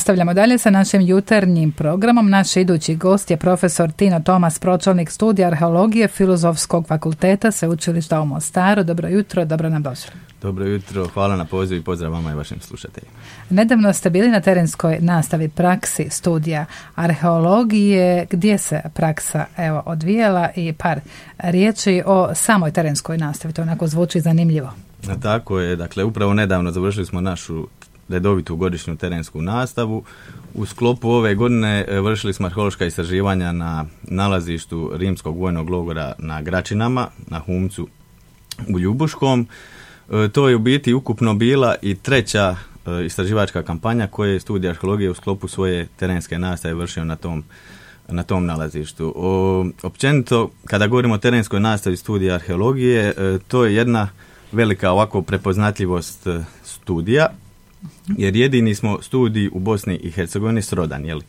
Nastavljamo dalje sa našim jutarnjim programom. Naš idući gost je profesor Tino Tomas, pročelnik studija arheologije Filozofskog fakulteta Sveučilišta u Mostaru. Dobro jutro, dobro nam došli. Dobro jutro, hvala na pozivu i pozdrav vama i vašim slušateljima. Nedavno ste bili na terenskoj nastavi praksi studija arheologije. Gdje se praksa odvijala i par riječi o samoj terenskoj nastavi? To onako zvuči zanimljivo. Tako je, dakle upravo nedavno završili smo našu redovitu godišnju terensku nastavu. U sklopu ove godine vršili smo arheološka istraživanja na nalazištu rimskog vojnog logora na Gračinama, na Humcu u Ljubuškom. To je u biti ukupno bila i treća istraživačka kampanja koje je studij arheologije u sklopu svoje terenske nastave vršio na tom nalazištu. Općenito, kada govorimo o terenskoj nastavi studija arheologije, to je jedna velika ovako prepoznatljivost studija, jer jedini smo studij u Bosni i Hercegovini srodan,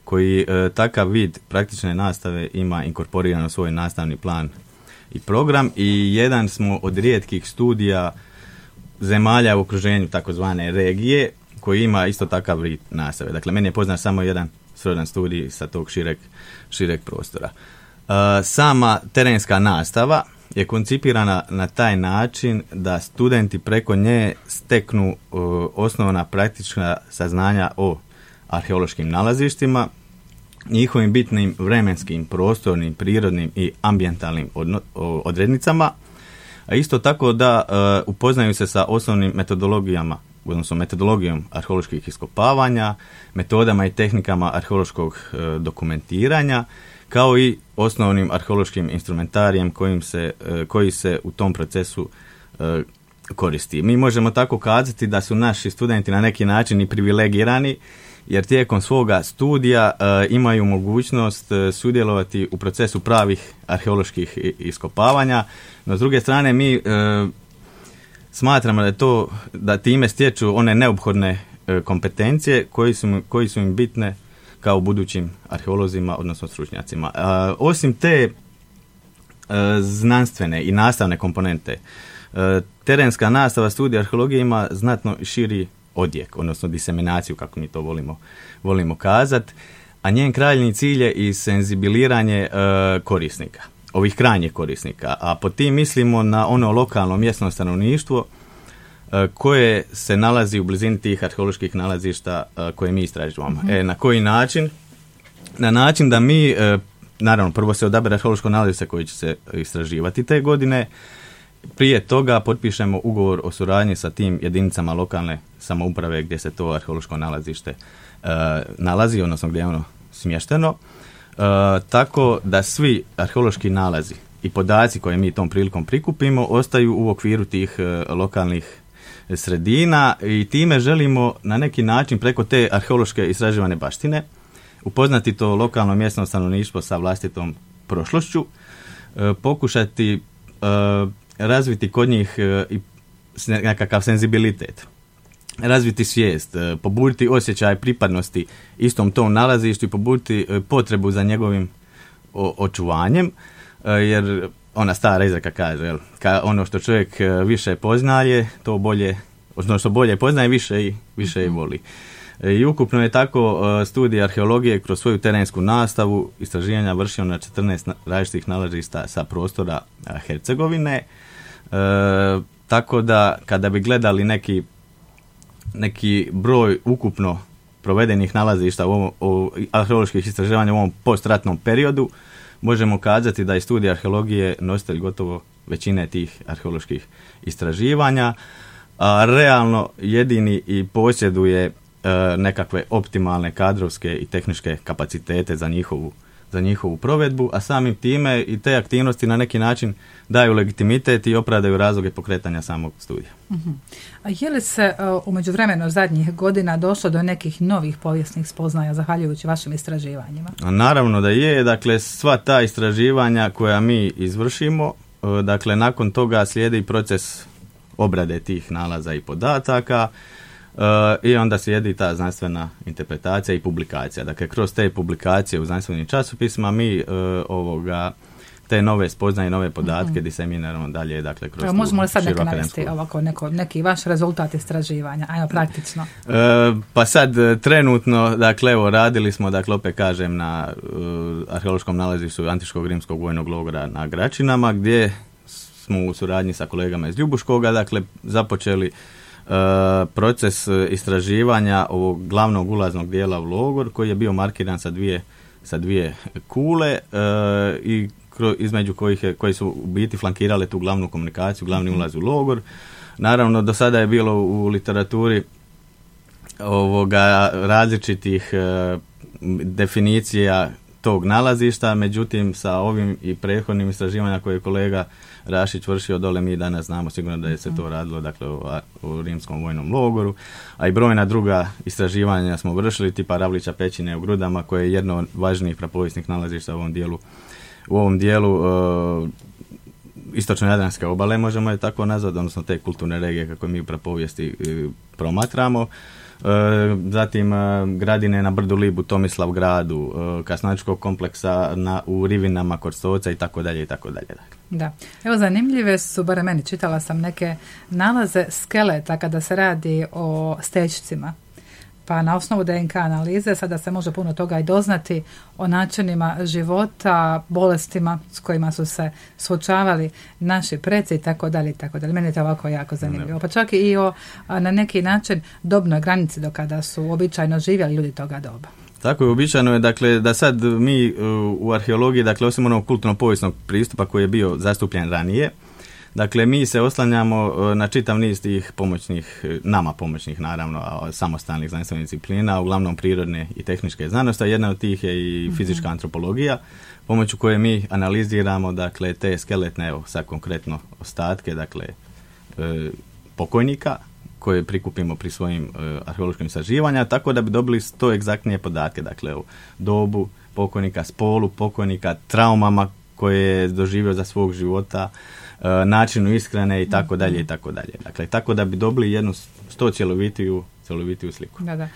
koji takav vid praktične nastave ima inkorporiran u svoj nastavni plan i program, i jedan smo od rijetkih studija zemalja u okruženju takozvane regije koji ima isto takav vid nastave. Dakle, meni je poznat samo jedan srodan studij sa tog šireg prostora. Sama terenska nastava je koncipirana na taj način da studenti preko nje steknu osnovna praktična saznanja o arheološkim nalazištima, njihovim bitnim vremenskim, prostornim, prirodnim i ambijentalnim odrednicama, a isto tako da upoznaju se sa osnovnim metodologijama, odnosno metodologijom arheoloških iskopavanja, metodama i tehnikama arheološkog dokumentiranja, kao i osnovnim arheološkim instrumentarijem koji se u tom procesu koristi. Mi možemo tako kazati da su naši studenti na neki način i privilegirani, jer tijekom svoga studija imaju mogućnost sudjelovati u procesu pravih arheoloških iskopavanja, no s druge strane mi smatramo da time stječu one neophodne kompetencije koji su im bitne kao budućim arheolozima, odnosno stručnjacima. Osim te znanstvene i nastavne komponente, terenska nastava studija arheologije ima znatno širi odjek, odnosno diseminaciju, kako mi to volimo kazati, a njen krajnji cilj je i senzibiliranje korisnika, ovih krajnjih korisnika, a pod tim mislimo na ono lokalno mjesno stanovništvo koje se nalazi u blizini tih arheoloških nalazišta koje mi istražujemo. Na koji način? Na način da mi, naravno, prvo se odabere arheološko nalazište koje će se istraživati te godine. Prije toga potpišemo ugovor o suradnji sa tim jedinicama lokalne samouprave gdje se to arheološko nalazište nalazi, odnosno gdje je ono smješteno. Tako da svi arheološki nalazi i podaci koje mi tom prilikom prikupimo ostaju u okviru tih lokalnih sredina, i time želimo na neki način preko te arheološke istraživane baštine upoznati to lokalno mjesno stanovništvo sa vlastitom prošlošću, pokušati razviti kod njih i nekakav senzibilitet, razviti svijest, pobuditi osjećaj pripadnosti istom tom nalazištu i pobuditi potrebu za njegovim očuvanjem, jer ona stara izreka kaže, ono što čovjek više poznaje, to bolje, odnosno što bolje poznaje, više i voli. I ukupno je tako studij arheologije kroz svoju terensku nastavu istraživanja vršio na 14 različitih nalazišta sa prostora Hercegovine. Tako da kada bi gledali neki broj ukupno provedenih nalazišta arheoloških istraživanja u ovom postratnom periodu, možemo kazati da je studij arheologije nositelj gotovo većine tih arheoloških istraživanja, a realno jedini i posjeduje nekakve optimalne kadrovske i tehničke kapacitete za njihovu provedbu, a samim time i te aktivnosti na neki način daju legitimitet i opravdaju razloge pokretanja samog studija. A je li se u međuvremenu zadnjih godina došlo do nekih novih povijesnih spoznaja zahvaljujući vašim istraživanjima? Naravno da je. Dakle, sva ta istraživanja koja mi izvršimo, dakle, nakon toga slijedi proces obrade tih nalaza i podataka, i onda slijedi ta znanstvena interpretacija i publikacija. Dakle, kroz te publikacije u znanstvenim časopisima mi te nove spoznaje, nove podatke diseminiramo dalje, dakle, kroz možemo li sad neka navesti ovako neki vaš rezultat istraživanja, ajmo praktično? Pa sad, trenutno, dakle, evo, radili smo, dakle, opet kažem, na arheološkom nalazištu Antičkog rimskog vojnog logora na Gračinama, gdje smo u suradnji sa kolegama iz Ljubuškoga, dakle, započeli proces istraživanja ovog glavnog ulaznog dijela u logor, koji je bio markiran sa dvije kule i između koji su u biti flankirale tu glavnu komunikaciju, glavni ulaz u logor. Naravno, do sada je bilo u literaturi različitih definicija tog nalazišta, međutim sa ovim i prethodnim istraživanjima koje je kolega Rašić vršio dole, mi danas znamo sigurno da je se to radilo, dakle, u rimskom vojnom logoru, a i brojna druga istraživanja smo vršili, tipa Ravlića pećine u Grudama, koje je jedno od važnijih prapovijesnih nalazišta u ovom dijelu istočno-jadranske obale, možemo je tako nazvati, odnosno te kulturne regije kako mi u prapovijesti promatramo. Zatim gradine na brdu Libu, Tomislav gradu, Kasnačkog kompleksa u Rivinama kod Stoca i tako dalje i tako dalje. Da. Evo, zanimljive su, barem meni, čitala sam neke nalaze skeleta kada se radi o stećcima. Pa na osnovu DNK analize sada se može puno toga i doznati o načinima života, bolestima s kojima su se suočavali naši preci i tako dalje i tako dalje. Meni je to ovako jako zanimljivo. Pa čak i na neki način dobnoj granici do kada su običajno živjeli ljudi toga doba. Tako je, uobičajeno je, dakle, da sad mi u arheologiji, dakle, osim onog kulturno-povijesnog pristupa koji je bio zastupljen ranije, dakle, mi se oslanjamo na čitav niz tih nama pomoćnih, naravno, samostalnih znanstvenih disciplina, uglavnom prirodne i tehničke znanosti, a jedna od tih je i fizička antropologija, pomoću koje mi analiziramo, dakle, te skeletne, evo, sad konkretno ostatke, dakle, pokojnika, koje prikupimo pri svojim arheološkim istraživanjima, tako da bi dobili 100 egzaktnije podatke, dakle, o dobu pokojnika, spolu pokojnika, traumama koje je doživio za svog života, načinu ishrane i tako dalje i tako dalje. Dakle, tako da bi dobili jednu 100 cjelovitiju sliku. Da.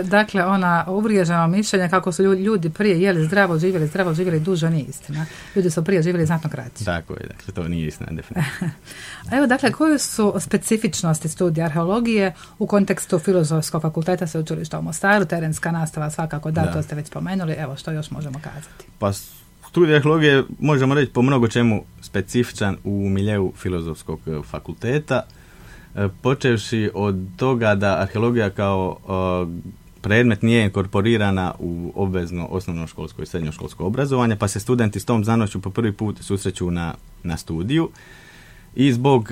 Dakle, ona uvriježena mišljenja kako su ljudi prije jeli zdravo živjeli duže, nije istina. Ljudi su prije živjeli znatno kraće. Tako je, dakle, to nije istina, definitivno. Evo, dakle, koje su specifičnosti studija arheologije u kontekstu Filozofskog fakulteta Sveučilišta u Mostaru, terenska nastava svakako, to ste već spomenuli, evo, što još možemo kazati? Pa, studij arheologije možemo reći po mnogo čemu specifičan u miljeu Filozofskog fakulteta, počevši od toga da arheologija kao predmet nije inkorporirana u obvezno osnovnoškolsko i srednjoškolsko obrazovanje, pa se studenti s tom znanošću po prvi put susreću na studiju i zbog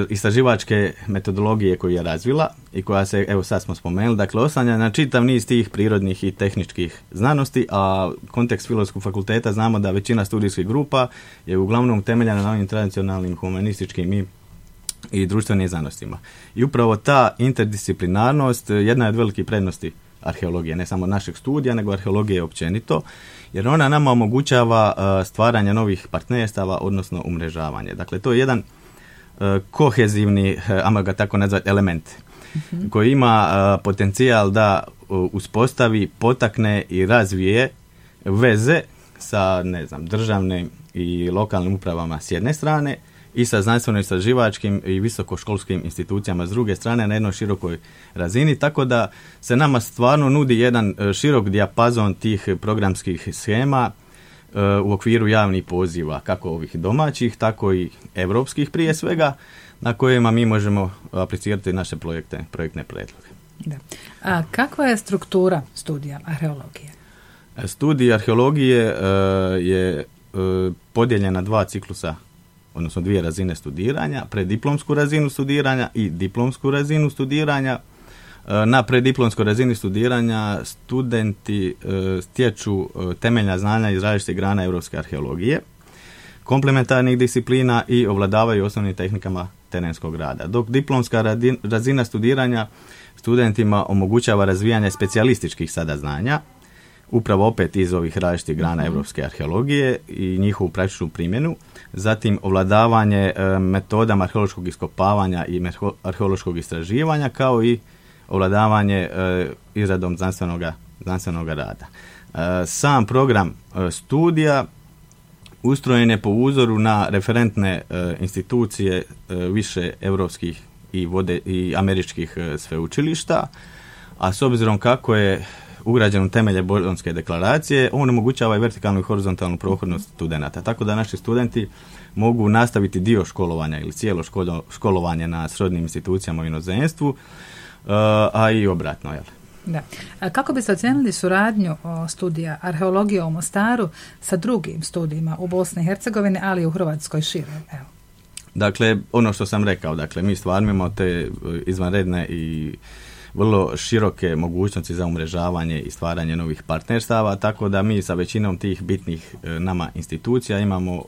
istraživačke metodologije koju je razvila i koja se, evo sad smo spomenuli, dakle, oslanja na čitav niz tih prirodnih i tehničkih znanosti, a kontekst Filozofskog fakulteta znamo da većina studijskih grupa je uglavnom temeljena na ovim tradicionalnim humanističkim i društvenim znanostima. I upravo ta interdisciplinarnost jedna je od velikih prednosti arheologije, ne samo našeg studija, nego arheologije općenito, jer ona nama omogućava stvaranje novih partnerstava, odnosno umrežavanje. Dakle, to je jedan kohezivni, ajmo ga tako nazvati, element koji ima potencijal da uspostavi, potakne i razvije veze sa, državnim i lokalnim upravama s jedne strane i sa znanstveno-istraživačkim i visokoškolskim institucijama s druge strane na jednoj širokoj razini, tako da se nama stvarno nudi jedan širok dijapazon tih programskih shema u okviru javnih poziva, kako ovih domaćih, tako i europskih prije svega, na kojima mi možemo aplicirati naše projektne predloge. Da. A kakva je struktura studija arheologije? Studij arheologije je podijeljen na 2 ciklusa, odnosno 2 razine studiranja, preddiplomsku razinu studiranja i diplomsku razinu studiranja. Na preddiplomskoj razini studiranja studenti stječu temeljna znanja iz različitih grana europske arheologije, komplementarnih disciplina i ovladavaju osnovnim tehnikama terenskog rada. Dok diplomska razina studiranja studentima omogućava razvijanje specijalističkih sada znanja, upravo opet iz ovih različitih grana europske arheologije i njihovu praktičnu primjenu, zatim ovladavanje metodama arheološkog iskopavanja i arheološkog istraživanja, kao i ovladavanje izradom znanstvenoga rada. Sam program studija ustrojen je po uzoru na referentne institucije više europskih i američkih sveučilišta, a s obzirom kako je ugrađen u temelje Bolonjske deklaracije, on omogućava i vertikalnu i horizontalnu prohodnost studenata. Tako da naši studenti mogu nastaviti dio školovanja ili cijelo školovanje na srodnim institucijama u inozemstvu, a i obratno. Jel? Da. A kako biste ocijenili suradnju studija arheologije u Mostaru sa drugim studijima u Bosni i Hercegovini, ali i u Hrvatskoj šire? Evo. Dakle, ono što sam rekao, dakle, mi stvarno imamo te izvanredne i vrlo široke mogućnosti za umrežavanje i stvaranje novih partnerstava, tako da mi sa većinom tih bitnih nama institucija imamo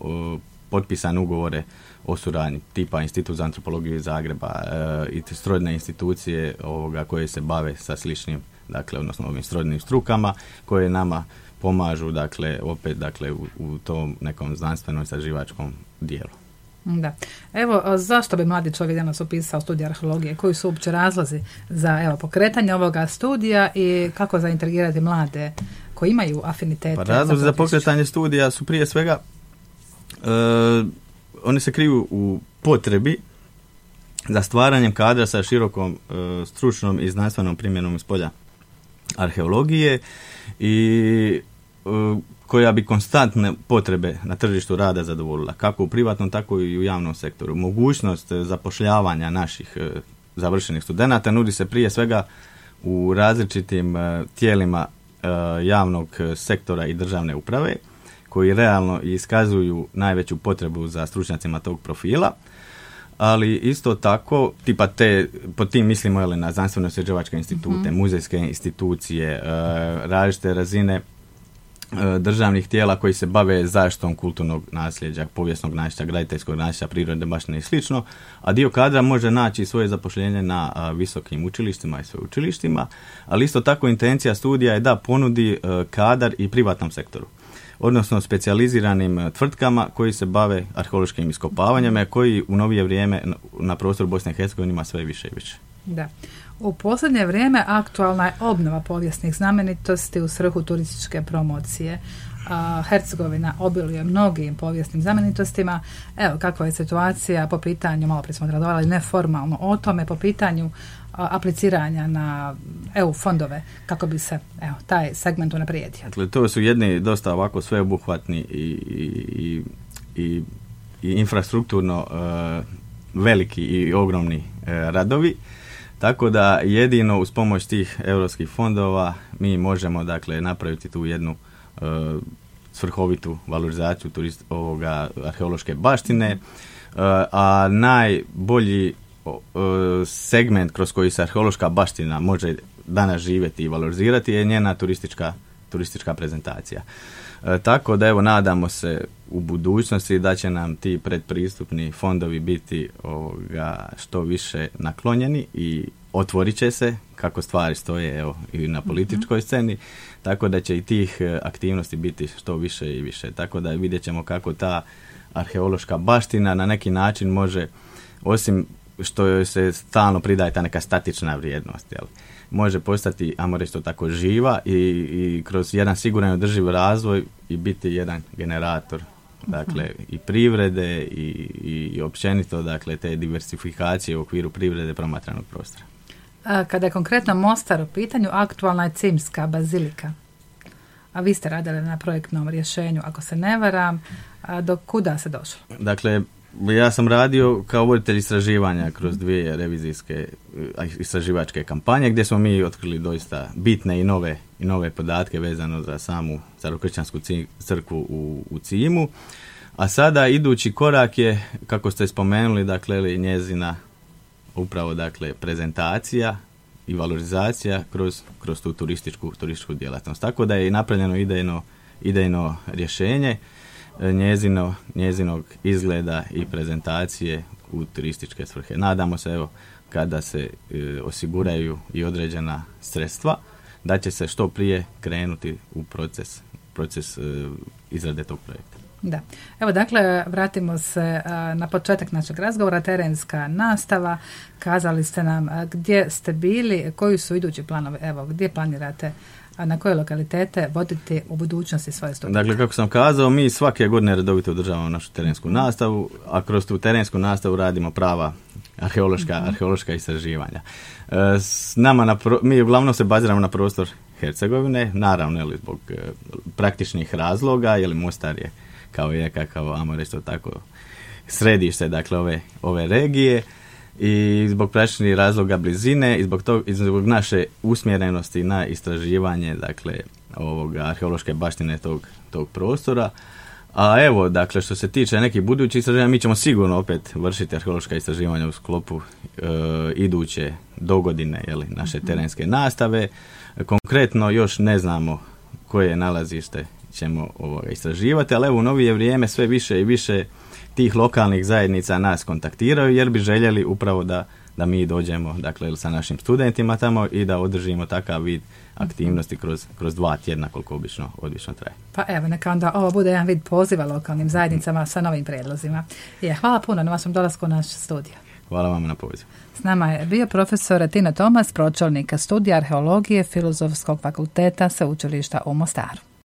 potpisane ugovore o suradnji, tipa Institut za antropologiju iz Zagreba i srodne institucije koje se bave sa sličnim, dakle, odnosno ovim srodnim strukama koje nama pomažu, dakle, opet, dakle, u tom nekom znanstvenom istraživačkom dijelu. Da. Evo, zašto bi mladi čovjek danas upisao studij arheologije? Koji su uopće razlozi za pokretanje ovoga studija i kako zaintrigirati mlade koji imaju afinitete? Pa razlozi za pokretanje studija su prije svega oni se kriju u potrebi za stvaranjem kadra sa širokom stručnom i znanstvenom primjenom iz polja arheologije i koja bi konstantne potrebe na tržištu rada zadovoljila, kako u privatnom, tako i u javnom sektoru. Mogućnost zapošljavanja naših završenih studenata nudi se prije svega u različitim tijelima javnog sektora i državne uprave, koji realno iskazuju najveću potrebu za stručnjacima tog profila, ali isto tako, pod tim mislimo na znanstveno-istraživačke institute, muzejske institucije, različite razine državnih tijela koji se bave zaštitom kulturnog nasljeđa, povijesnog nasljeđa, graditeljskog nasljeđa, prirodne baštine i slično, a dio kadra može naći svoje zapošljenje na visokim učilištima i sveučilištima, ali isto tako intencija studija je da ponudi kadar i privatnom sektoru, odnosno specijaliziranim tvrtkama koji se bave arheološkim iskopavanjima, koji u novije vrijeme na prostoru Bosne i Hercegovine ima sve više i više. Da. U posljednje vrijeme aktualna je obnova povijesnih znamenitosti u svrhu turističke promocije. Hercegovina obiluje mnogim povijesnim znamenitostima. Evo, kakva je situacija po pitanju, malo prije smo razgovarali neformalno o tome, po pitanju apliciranja na EU fondove, kako bi se taj segment unaprijedio. Dakle, to su jedni dosta ovako sveobuhvatni i infrastrukturno veliki i ogromni radovi. Tako da jedino uz pomoć tih europskih fondova mi možemo, dakle, napraviti tu jednu svrhovitu valorizaciju arheološke baštine, a najbolji segment kroz koji se arheološka baština može danas živjeti i valorizirati je njena turistička prezentacija. Tako da nadamo se u budućnosti da će nam ti predpristupni fondovi biti što više naklonjeni i otvorit će se kako stvari stoje i na političkoj sceni, tako da će i tih aktivnosti biti što više i više. Tako da vidjet ćemo kako ta arheološka baština na neki način može, osim što joj se stalno pridaje ta neka statična vrijednost, može postati, ajmo reći to tako, živa i kroz jedan siguran i održiv razvoj i biti jedan generator, dakle, i privrede i općenito, dakle, te diversifikacije u okviru privrede promatranog prostora. Kada je konkretno Mostar u pitanju, aktualna je Cimska bazilika. A vi ste radili na projektnom rješenju, ako se ne varam, do kuda se došlo? Dakle, ja sam radio kao voditelj istraživanja kroz 2 revizijske istraživačke kampanje gdje smo mi otkrili doista bitne i nove podatke vezano za samu starokršćansku crkvu u Cimu. A sada idući korak je, kako ste spomenuli, dakle, njezina upravo, dakle, prezentacija i valorizacija kroz tu turističku djelatnost. Tako da je napravljeno idejno rješenje njezinog izgleda i prezentacije u turističke svrhe. Nadamo se, kada se osiguraju i određena sredstva, da će se što prije krenuti u proces izrade tog projekta. Da. Evo, dakle, vratimo se na početak našeg razgovora, terenska nastava. Kazali ste nam gdje ste bili, koji su idući planovi, evo, gdje planirate, na koje lokalitete voditi u budućnosti svoje studije? Dakle, kako sam kazao, mi svake godine redovito održavamo našu terensku nastavu, a kroz tu terensku nastavu radimo prava arheološka istraživanja. S nama mi uglavnom se baziramo na prostor Hercegovine, naravno zbog praktičnih razloga, Mostar je kao ajmo reći to tako, središte, dakle, ove regije, i zbog praktičnih razloga blizine i zbog naše usmjerenosti na istraživanje, dakle, arheološke baštine tog prostora. A evo, dakle, što se tiče nekih budućih istraživanja, mi ćemo sigurno opet vršiti arheološka istraživanja u sklopu iduće dogodine naše terenske nastave. Konkretno još ne znamo koje nalazište ćemo istraživati, ali evo, u novije vrijeme sve više i više tih lokalnih zajednica nas kontaktiraju, jer bi željeli upravo da mi dođemo, dakle, sa našim studentima tamo i da održimo takav vid aktivnosti kroz 2 tjedna, koliko obično traje. Pa evo, neka onda ovo bude jedan vid poziva lokalnim zajednicama sa novim prijedlozima. Hvala puno na vašem dolasku u naš studij. Hvala vam na pozivu. S nama je bio profesor Tino Tomas, pročelnik studija arheologije Filozofskog fakulteta Sveučilišta u Mostaru.